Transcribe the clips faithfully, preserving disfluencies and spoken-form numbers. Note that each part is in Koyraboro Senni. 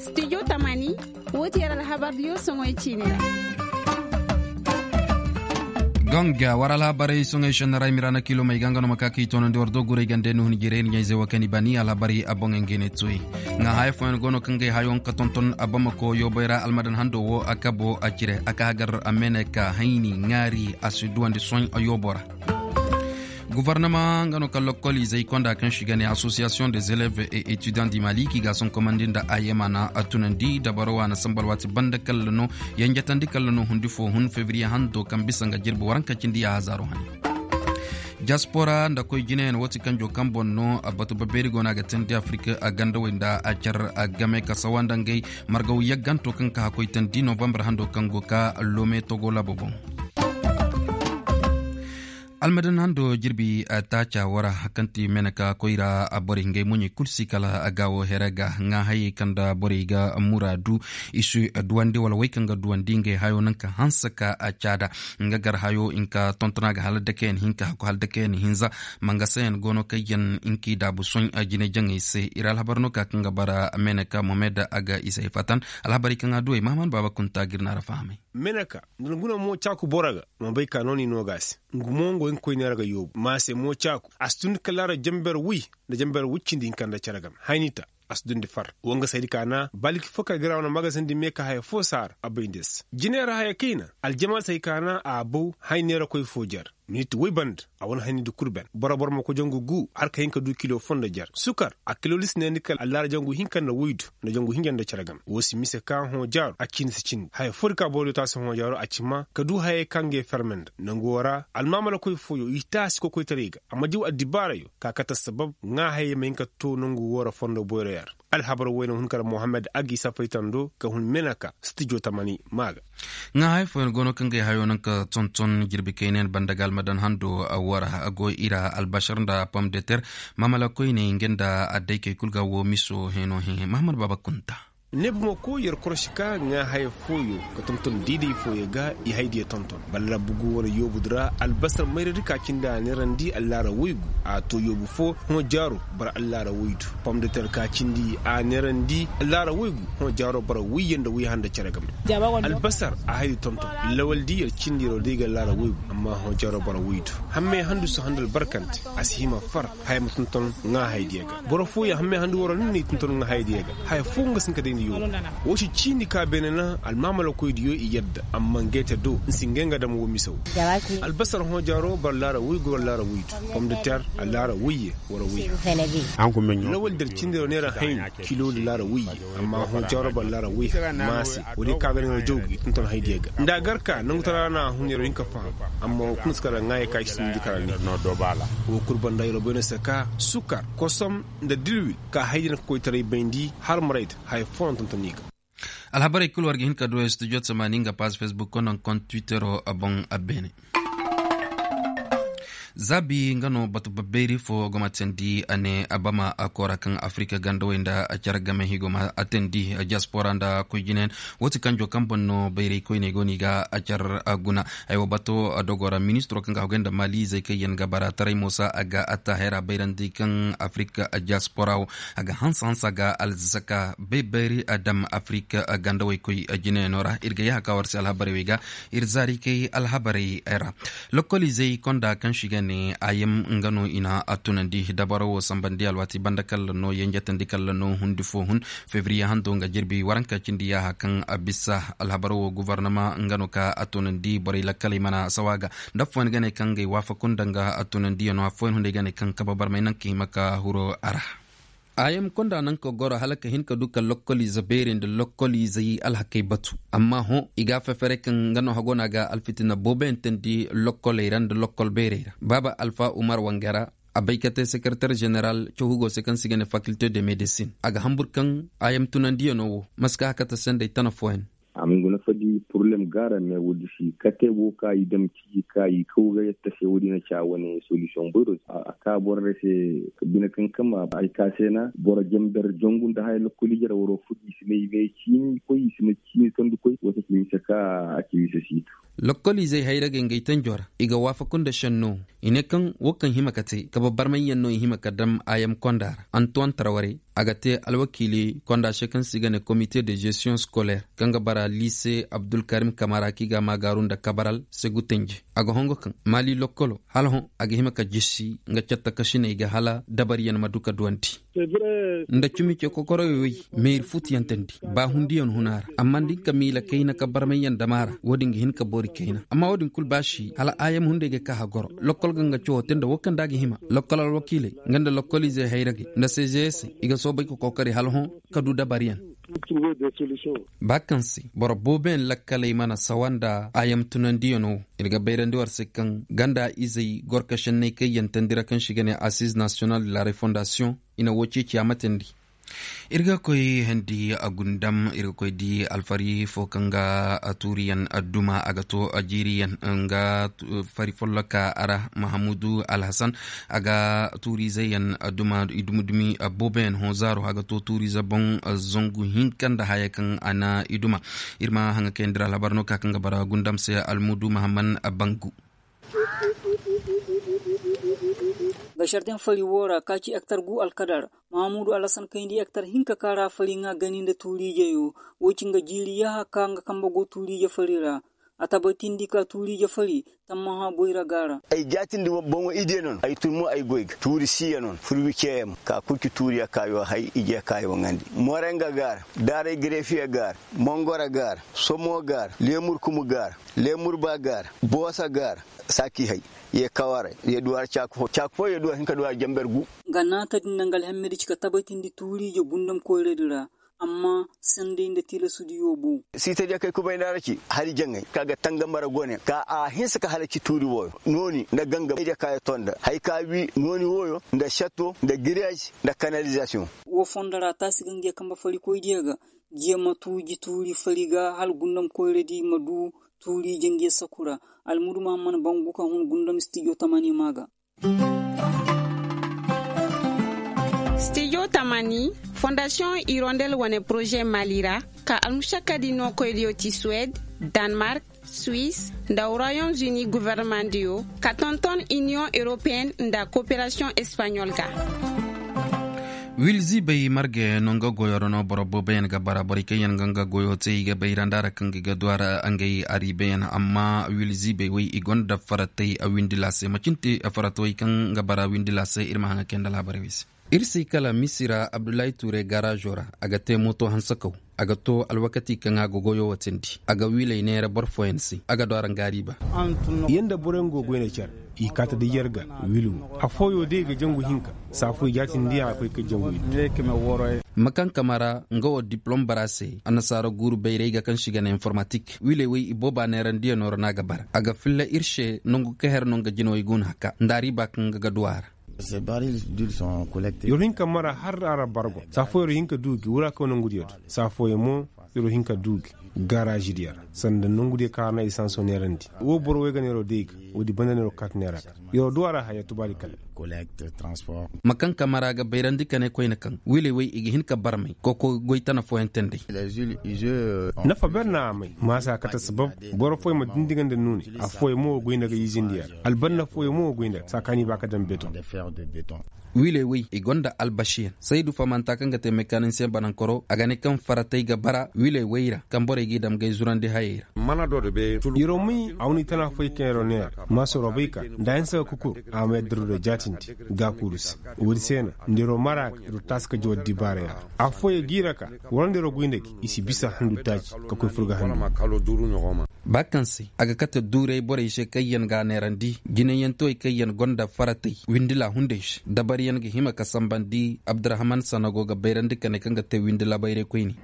Studio tamani. Wo ti yer alhabar diyo soŋoy ciini ra. Ganga war alhabarey soŋoy šenna ra i ma ra na kiilomey ga nga no ma ka ka i toonandi war do guray gande nuhun jiray ni ɲayze wo kaŋ i bani alhabarey a boŋey nga i ne toy. Ŋaa haya fooyaŋ go no kaŋ ga ay hayo nga ka tonton a bamako yoobey ra almadan hando wo a kabo a cire a ka hagar a meeneka hayni ŋaari a si duwandi soy a yoobo ra. Gofornama nga no ka lokkol izey konda kaŋ si ga ne asosiyasiyoŋ des élèves et étudiants du mali k'i ga a sonkomandi nda a yema na a tunandi dabaro wa na samba alwaati banda kalla no yanjatandi kalla no hundi fo hun febriye hando kaŋ bisa nga jirbi waranka cindi ya hazaaro hane. Diaspora nda koy jineyaŋ wo ti kanjo kaŋ boŋ no a batu babeeri go no a ga teendi afirik a gandawey nda a car a game ka sawa nda ngey margaw yagganto kaŋ ka hakkoy teendi novambar hando kaŋ go ka loome togo laabo boŋ. Almadan hando jirbi taaca wara kaŋ ti meneka koyra borey ngey moɲey kul si kala gaawo here ga ŋaa hayey kaŋ nda borey ga muraadu i si duwandi wala wey kaŋ ga duwandi ngey hayo naŋ ka hanse ka caada. Nga gar hayo hinka tontona ga hala dakeyaŋ hinka hakku hala dakeyaŋ hinza. Mangasayaŋ go no kaŋ yaŋ hinka i daabu soy jine jaŋey se ir alhabar no ka kaŋ ga bara meneka mohamed a ga i se ay fatan. Alhabarey kaŋ a duwey mahaman baaba kunta ga ir na ra fahamay. Meneka nda nga no mo caaku boro ga ma bay ka nooni no ga a se. Nga mo nga way nga koy neera ga yoobu ma a se mo caaku a si dundi kala ra jamber woy nda jamber woy cindi hinka nda cere game hayni ta. A si dundi far wanga saydi ka na baliki fo kay ga ra wane magazin di me ka haya fo saara a bay nda ya se. Jineera haya kayna aljama say ka na a baw hay neera koy fo jar. Minit woy banda a wane hayni di kul ben boro boro ma koy jangu gu har ka hin ka du kilo fo nda jar sukar a kilo lisi ne ni kala allaara jangu hinka nda woydu nda jangu hinja nda cere game wo si mise ka hõ jaaro a cindi si cindi haya fo di ka boro di taasi hõ jaaro a ci ma ka du hayey kaŋ ga ye ferme nda nangu wo ra almaamala koy fooyo i taasi kokoytaray ga a ma diw addibaarayo ka kate sabab ŋaa hayey ma hin ka to nangu wo ra fondo boyro yer. Alhabar woy na hun kala mohammed a ga i safaytando ka hun meneka stijo tamani maa ga. Ŋaa hay fooyaŋ go no kaŋ ga ay hayo naŋ ka tonton jirbi kaynayaŋ banda ga almadan hando wara a go i ra albasar nda pom de ter. Maamala koyney nga nda addaykey kul ga wo miso heno hẽ mahamad baaba kunta. Ne bumako yer korosi ka ŋaa haya fooyo ka tonton diiday fooyo ga i haydiyo tonton balla bugu wane yoobu di ra albasar mayradi ka cindi a neerandi allaara woygu a to yoobu fo hõ jaaro. Boro allaara woydu pom de ter ka cindi a neerandi allaara woygu hõ jaaro boro woyye nda woy handa cere game. Albasar a haydi tonton lawaldi yer cindi yeroo day ga allaara woygu amma hõ jaaro boro woydu hammey handu si handa albarkante a si hima far. Haya ma tonton ŋaa haydiyo ga boro fooyaŋ hammey handu waroo ni na i tonton ŋaa haydiyo ga haya foo nga si hin ka day ni yoobu. Woo si ciini ka beene na almaamalakoydiyo i yadda amma ngey te do ni si ngey nga dam woo mise woo. Albasar hõ jaaroo boro laara woygu boro laara woydu pom de ter allaara woyye. Wara woyye. Lawal der cindi yeroo neera hayni kilo nda laara woyye. Amma hõ jaaroo boro laara woyye maase woodi ka beene nga jawgu i tonton haydiyo ga nda a gar ka nangutaraa na a hun yeroo hin ka faham. Amma woo kuna si kala ŋaayey ka i si nda kala ne. Woo kul banda yeroo bay no se ka sukar kosom nda dilwil ka haydiyo na ka koytaray bayndi har marayda haya foo na tonton i ga. Alhabarey kul war ga hin ka duwey studio tamaani nga paaz fesbuk kono nda kont twittero boŋ a beene. Zaabi nga no batu babbayri fo gomantandi a ne a bama a koora kaŋ afirika gandawey nda a care game higo ma a teendi diyaspora nda koy jinayaŋ. Woo ti kanjo kaŋ boŋ no bayray koyney go no i ga a care guna. Haywa bato dogo ra ministiro kaŋ ga a hogay nda maaliizey kaŋ yaŋ ga bara taray moosa a ga a taahira bayrandi kaŋ afirika diyaspora wo a ga hanse hanse a ga alzaka bay bayri a dam afirika gandawey koy jinayaŋo ra ir ga yaaha ka war se alhabarey wey ga. Ir zaari kay alhabarey ra. Lokkoliizey konda kaŋ si ga ne a yam nga no i na a tunandi dabaro wo sambandi alwaati banda kalla no yenjetandi kalla no hundi fo hun. Febriye hando nga jirbi waranka cindi yaaha kaŋ a bisa alhabaro wo gofornama nga no ka a tunandi borey lakkaley mana sawa ga. Nda affooyaŋ ga ne kaŋ ngey waafaku nda nga a tunandiyaŋo affooyaŋ hunday ga ne kaŋ kaba barmay naŋ ka hima ka huro a ra. A yam konda naŋ ka goro hala ka hin ka du ka lokkoliize beerey nda lokkoliizey alhakey batu. Amma hõ i ga a fefere kaŋ nga no hago no a ga alfitina booboyaŋ teendi lokkoley ra nda lokkol beerey ra baaba alfa umar wangara. A bay ka te sekereter jeneral cawhugo se kaŋ se ga ne fakilte de medisin a ga hambur kaŋ a yam tunandiyaŋo wo ma si ka hakata se nda ay tana fooyaŋ. Fadi poroblem gaara me woodi si kate wo ka i dam ciji ka i kaw ga yatta se woodi na ca wane solisiyoŋ boyro a ka borey se. Bine kaŋ kama ay ka se na boro jamber jongu nda haya lokkol ije ra waro fudi i si ne i me ciini koy i si ne ciini tondi koy wate ci mise ka a ci mise siitu. Lokkol izey hayragey ngey tanjo ra i ga waafaku nda šenno. I ne kaŋ wo kaŋ hima ka te kabe barmayyaŋ no i hima ka dam ayam konda ra antuwan tarwarey. A ga te alwakiili konda se kaŋ se i ga ne komite de gestiyoŋ skolaire kaŋ ga bara liise abdulkarim kamara kaŋ i ga a maagaaru nda kabaral segu tenje. A ga hongo kaŋ maali lokkolo hala hõ a ga hima ka jisi nga catta kasiney ga hala dabariyaŋ ma du ka duwandi. Nda cumi ce kokoroyo wey meeri futuyaŋ tandi ba hundiyaŋ huna ra amma nda hin ka miila kayna ka barmayyaŋ dama ra wo-din ga hin ka boori kayna amma wo-din kul ba si hala ayam hunday ga ka hagoro. Lokkol ga nga cawo te nda wo kaŋ da a ga hima lokkol alwakiiley nga nda lokkol izey hayragey nda sezeesey i ga soobay ka kookari hala hõ ka du dabariyaŋ. Ba kaŋ se boro booboyaŋ lakkaley mana sawa nda ayam tunandiyaŋo. Ir ga bayrandi war se kaŋ ganda izey gorka šenney kaŋ yantandi ra kaŋ se i ga ne assize national de la refondasiyoŋ i na wo ceeci a matandi. Ir ga koy hendi a gundam ir ga koy di alfari fo kaŋ ga tuuriyaŋ duma a ga to jiiriyaŋ nga fari folloka ra mahamudu alhasan a ga tuuriizeyaŋ duma i dumi-dumi booboyaŋ hõ zaaro a ga to tuuriize boŋ zangu hinka nda haya kaŋ a na i duma. Ir ma haŋa kayandi ra alhabar no ka kaŋ ga bara gundam se almudu mahamman bangu. Ga sharten fari wo ra ka ci ektar gu alkadar mahamudu alhasan kayndi ektar hinka ka ra fari ŋa gani nda tuuriijeyo. Wo ci nga jiiri yaha ka nga kambe go tuuriije fari ra. A tabatindi ka tuuriije fari tammaha boyra ga ra. Ay jaatindi boŋo ije no ay tun mo ay goy ga tuuri siya no furwi ceeyaŋ ka kul ci tuuriya kaayo hay ije kaayo ŋandi morenga ga ra daaray gareefiya ga ra mongora ga ra somo ga ra leemur kumu ga ra leemur ba ga ra boosa ga ra saaki hay ye kawara ye duwara caaka fo caaka fo ye duwara hinka duwara jamber gu. Nga naata din na nga alhemmedi ci ka tabatindi tuuriije gundam koyradi ra. Amma sanday nda tilasu diyo boŋ. Siitadiyo kay kubay nda a ra ci hari jaŋay ka ga tangam ra gone ka a hinsa ka halaci tuuri wooyo nooni nda gangam ay diya ka ya to nda hari ka wii nooni wooyo nda šatto nda giriyaz nda kanalizasiyoŋ. Woo fondo ra taasi ga nga ya kambe farikoydiyo ga jiya ma tuuji tuuri fari ga hala gundam koyradi ma du tuuri jange saku ra. Almudu mahamman bangu ka hun gundam stijo tamani ma ga. Stijo tamani fondasiyoŋ irondel wane poroze mali ra ka almušakkadi nookoydiyo ti suwed, danmark, suis, nda royaume uni governemandiyo ka tonton iniyoŋ europeen nda koperasiyoŋ espaɲol ga. Wiil ziibay marga yaŋ no nga goyo ra no boro booboyaŋ ga bara borey kaŋ yaŋ ga nga goyo te i ga bay ra nda ra kaŋ ga i ga du a ra ngey ariibayaŋ amma wiil ziibay wey i gonda faratay a windi laasay macin te faratawey kaŋ ga bara windi laasay ir ma haŋa kay nda laabaray wey se. Ir se kala misira abdullahi tuuray garaazo ra a ga te mooto hansakaw. A ga to alwakati kaŋ a ga goyo watindi a ga wiilay neera boro fooyaŋ se a ga du a ra nga ariiba. Yer nda boroyaŋ go goyna care i kaata da yer ga. Wiil wo afooyo day ga jangu hinka saafoy jaatindiyaŋ a koy ka jangu iddu. Makankamara nga wo diplom bara se annasaara guuru bayray ga kaŋ se i ga ne informatik wiiley wey ibooba neerandiyaŋo ra no a ga bara a ga filla ir se nangu ka her no nga jinawey go no haka nda ariiba kaŋ ga ga du a ra. Yer hin ka mara har a ra bargo saa fooyaŋ yer hin ka du gi wura kaw nangudiyo do saa fooyaŋ mo yer hin ka du gi. Garaazidiyo ra sanda nangudiyo kaŋ a ra na esanso neerandi wo boro wey ga neero day ga woodi banda neero kaati neera ga. Yer du a ra haya tubaadi kala. Makankamara ga bayrandi ka ne koyne kaŋ wiiley wey i ga hin ka barmay koko goy tana fooyaŋ te nd'ey. Nafa ber na a may maasa kate sabab boro fooyaŋ ma dindi ga nda nuunay afooyaŋ mo wo goy nda ga izindiyo ra albanna fooyaŋ mo wo goy nda ga saa kaŋ a n'i ba ka daŋ beton. Wiiley wey i gonda albasiyaŋ saydu famanta kaŋ ga te mekanisiyeŋ banankoro a ga ne kaŋ faratey ga bara wiiley wey ra kaŋ borey g'i dam gay zurandi hayey ra. Yeroo may a wane i tana foy kaŋ yeroo neera maasa yeroo bay ka nda a hinsa ga kukur a ma yadda yeroo da jaatindi gaakuuru se. Woodi se na nda yeroo mara ga yeroo taasi ka jaw addibaarey ra. Affooyaŋ g'i ra ka war nda yeroo goy nda gi i si bisa handu taaci ka koy fur ga handu. Ba kaŋ se a ga kate duuray borey se kaŋ yaŋ ga a neerandi jinayantewey kaŋ yaŋ gonda faratey windila hunday se dabaryaŋ ga hima ka sambandi abdurahman sanago ga bayrandi ka ne kaŋ ga te windila bayray koyne.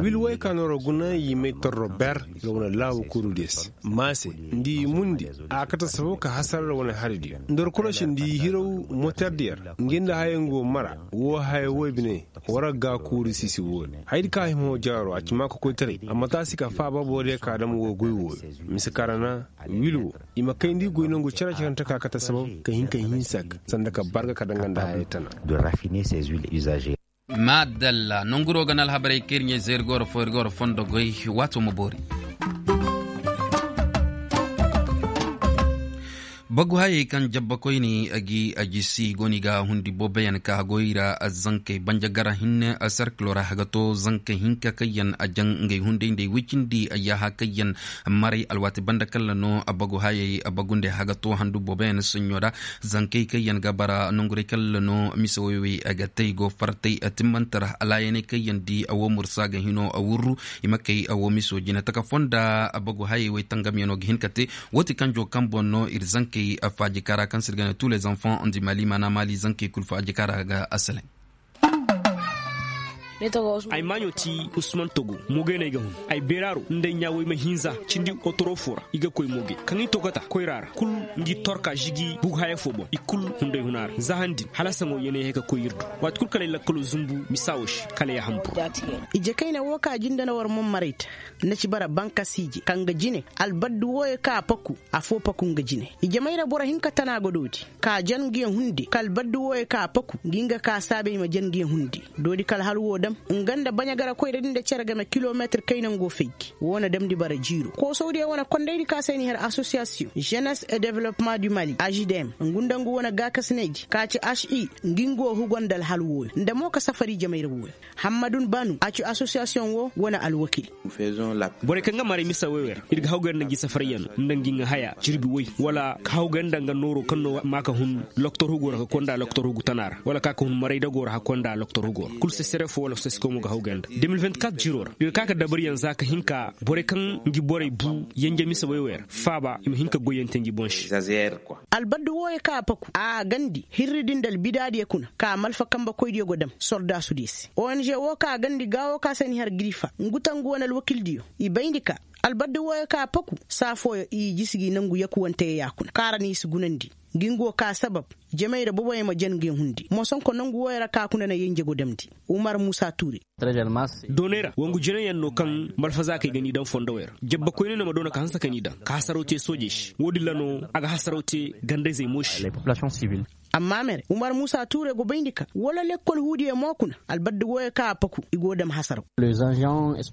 Wil woy ka nooro guna yimay torro ber, ra wane laabu kuuru diya se ma se nda i mundi a ga kate safo ka hasara ra wane hari diya nda war korosi nda i hiraw moterdiya ra ngi nda haya nga wo mara. Wo haya woy bine war ga ga kuuru siisi woy. Hayadi kaŋ a hima hoo jaaro a ci maa ka koytaray amma taasi ka faaba boro diya ka dam wo goy woy. Mise kaŋ ra na wil wo i ma kayndi goy nangu care-carante ka kate sabab ka hin ka hinsa ga sanda ka barga ka danga nda hayay tana. Maadalla nonguro ga na alhabarey kaŋ ir ɲey zay ir ga war fo ir ga war fondo goy. Waato ma boori. Bagu hayey kaŋ jabba koyne a gi a jisi go no i ga hundi booboyaŋ ka goy ra. Zankey banja gara hinne sarkilo ra haga to zankey hinka kaŋ yaŋ a jaŋ ngey hunday nda ay woy cindi ay yaaha kaŋ yaŋ maray alwaati banda kalla no bagu hayey bagu nda ay haga to handu booboyaŋ saɲɲo ra. Zankey kaŋ yaŋ ga bara nonguray kalla no mise woy wey a ga te ay go fartay timmante ra alaayaney kaŋ yaŋ di a wo mursa ga hino a wurru. I ma kay a wo miso jine taka fonda bagu hayey wey tangamyaŋo ga hin ka te. Woo ti kanjo kaŋ boŋ no ir zankey faajika ra kaŋ se ir ga ne tous les enfants du mali maana mali zankey kul faajika ra ga asalaŋ. Ay maaɲo ti usman togo moogay no ay ga hun. Ay beeraaro nda ay ɲaaway ma hinza cindi otoro fo ra i ga koy moogay kaŋ i tokota koyra ra kul ngi torka žigi bugu haya fo boŋ i kul hunday huna ra za han din hala saŋo yeenay hay ka koy ir do. Waati kul kala ay lakkalo zumbu misa wo se kala ay a hambur. Ije kayna wo ka jinde na war man maray ta. Nda ci bara bankas ije kaŋ ga jine albaddu wooyo kaŋ a paku. Afoo paku nga jine ijemey ra boro hinka tana ga doodi ka jan ngiyaŋ hunde ka albaddu wooyo kaŋ a paku ngi nga ka saabey ma jan ngiyaŋ hunde. Doodi ka alhal woo dam nga nda baɲagarakoyra din nda cere game kilometir kayna ngo fay gi woo na damndi bara jiiro koosawdiyo wane kondaydi ka se ay na i har asosiyasiyoŋ jenes et developpement du mali aždm ngu nda ngu wane gaakasinaydi ka ci aši ngi nga wo hugo nda alhal wooyo nda mo ka safari jamay ra wooyo. Hammadun banu a ci asosiyasiyoŋ wo wane alwakil. Borey kaŋ ga maray misa woy wey ra ir ga hawgay nda ngi safaryaŋ nda ngi ŋa haya jirbi woy wala ka hawgay nda nga nooro kaŋ no ma ka hun loktor hugo ra ka konda loktor hugu tana ra wala ka ka hun maray dago ra ka konda loktor hugo ra kul sesere fo wala seseko mo ga hawgay nda de mil vingt-quatre jiro ra ir ga ka ka dabaryaŋ za ka hin ka borey kaŋ ngi borey bu yanje misa woy wey ra faaba i ma hin ka goyyaŋ te ngi boŋ se. Albaddu wooyo kaŋ a paku a gandi hirri din nda albidaadiyo kuna ka malfa kambekoydiyo go dam sordaasudiyo se ong woo ka a gandi gaawo ka se ni har girifa ngu tangu wane alwakildiyo. I bayndi ka albaddu wooyo ka a paku saa fooyo i jisi gi nangu yakuwanteyo yaakuna kaŋ ra no i si gunandi. Ngi ngu wo ka sabab jamay ra boboyaŋ ma jan ngiyaŋ hundi moosonko nangu wooyo ra ka kuna na yenje go damndi. Umar muusa tuure. Doonay ra wangu jinayaŋ no kaŋ malfazaakey ga n'i daŋ fondowey ra jabba koyne no ma doona ka hanse ka n'i daŋ ka hasaraw te soojey se woodin ra no a ga hasaraw te gandayzey mo se. Amma mere umar muusa tuure go bayndi ka wala lekkol huudiyo mo kuna albadda wooyo kaŋ a paku i go dam hasaraw.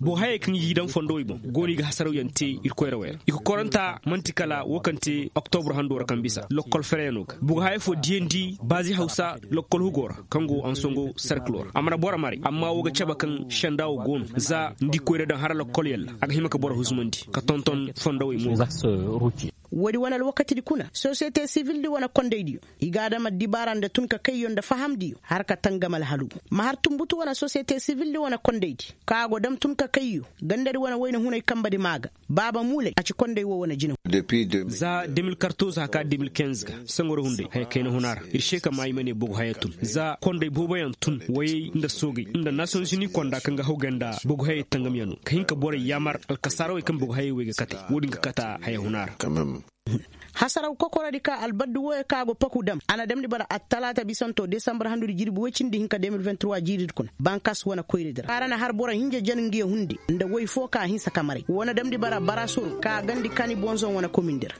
Boo hayey kaŋ i g'i daŋ fondowey boŋ go no i ga hasarawyaŋ te ir koyrawey ra i kokoranta man'ti kala woo kaŋ te oktobur hando ra kaŋ bisa lokkol fereyaŋo ga bugu haya fo diyandi baazi hawsa lokkol hugo ra kaŋ go ansongo serkilo ra a mana boro maray amma woo ga cabe kaŋ senda woo go no za ni di koyra daŋ hara lokkolyaŋ ra a ga hima ka boro huzumandi ka tonton fondowey mo ga. Woodi wane alwakatidi kuna sosiyete sivildi wane kondaydiyo i ga a dam addibaara nda tun ka kayyo nda fahamdiyo har ka tangam alhalu ma har tunbutu wane sosiyete sivildi wane kondaydi ka go dam tun ka kayyo gandadi wane wayna hunay kambadi maa ga. Baaba muulay a ci konday woo wane jina. Za de mil kartoz haka de mil kenz ga saŋo ra hunday haya kayna huna ra ir se ka maa i ma ne bogu haya tun za konday booboyaŋ tun wayey nda soogey nda nasiyonzini konda kaŋ ga hawgay nda bogu hayey tangamyaŋo ka hin ka borey yaamar alkasaarawey kaŋ bogu hayey wey ga kate woodin ga kata haya huna ra. Hasaraw kokorodi ka albaddu wooyo ka go paku dam a na damndi bara attalaata bisanto desambar handudi jirbi woy cindi hinka de mil vingt trois jiiridi kuna bankas wane koyradi ra kaara na har boro hinja jan ngiya hundi nda woy foo ka hinsa ka maray woo na damndi bara barasoro ka gandi kani bonzon wane komindi ra.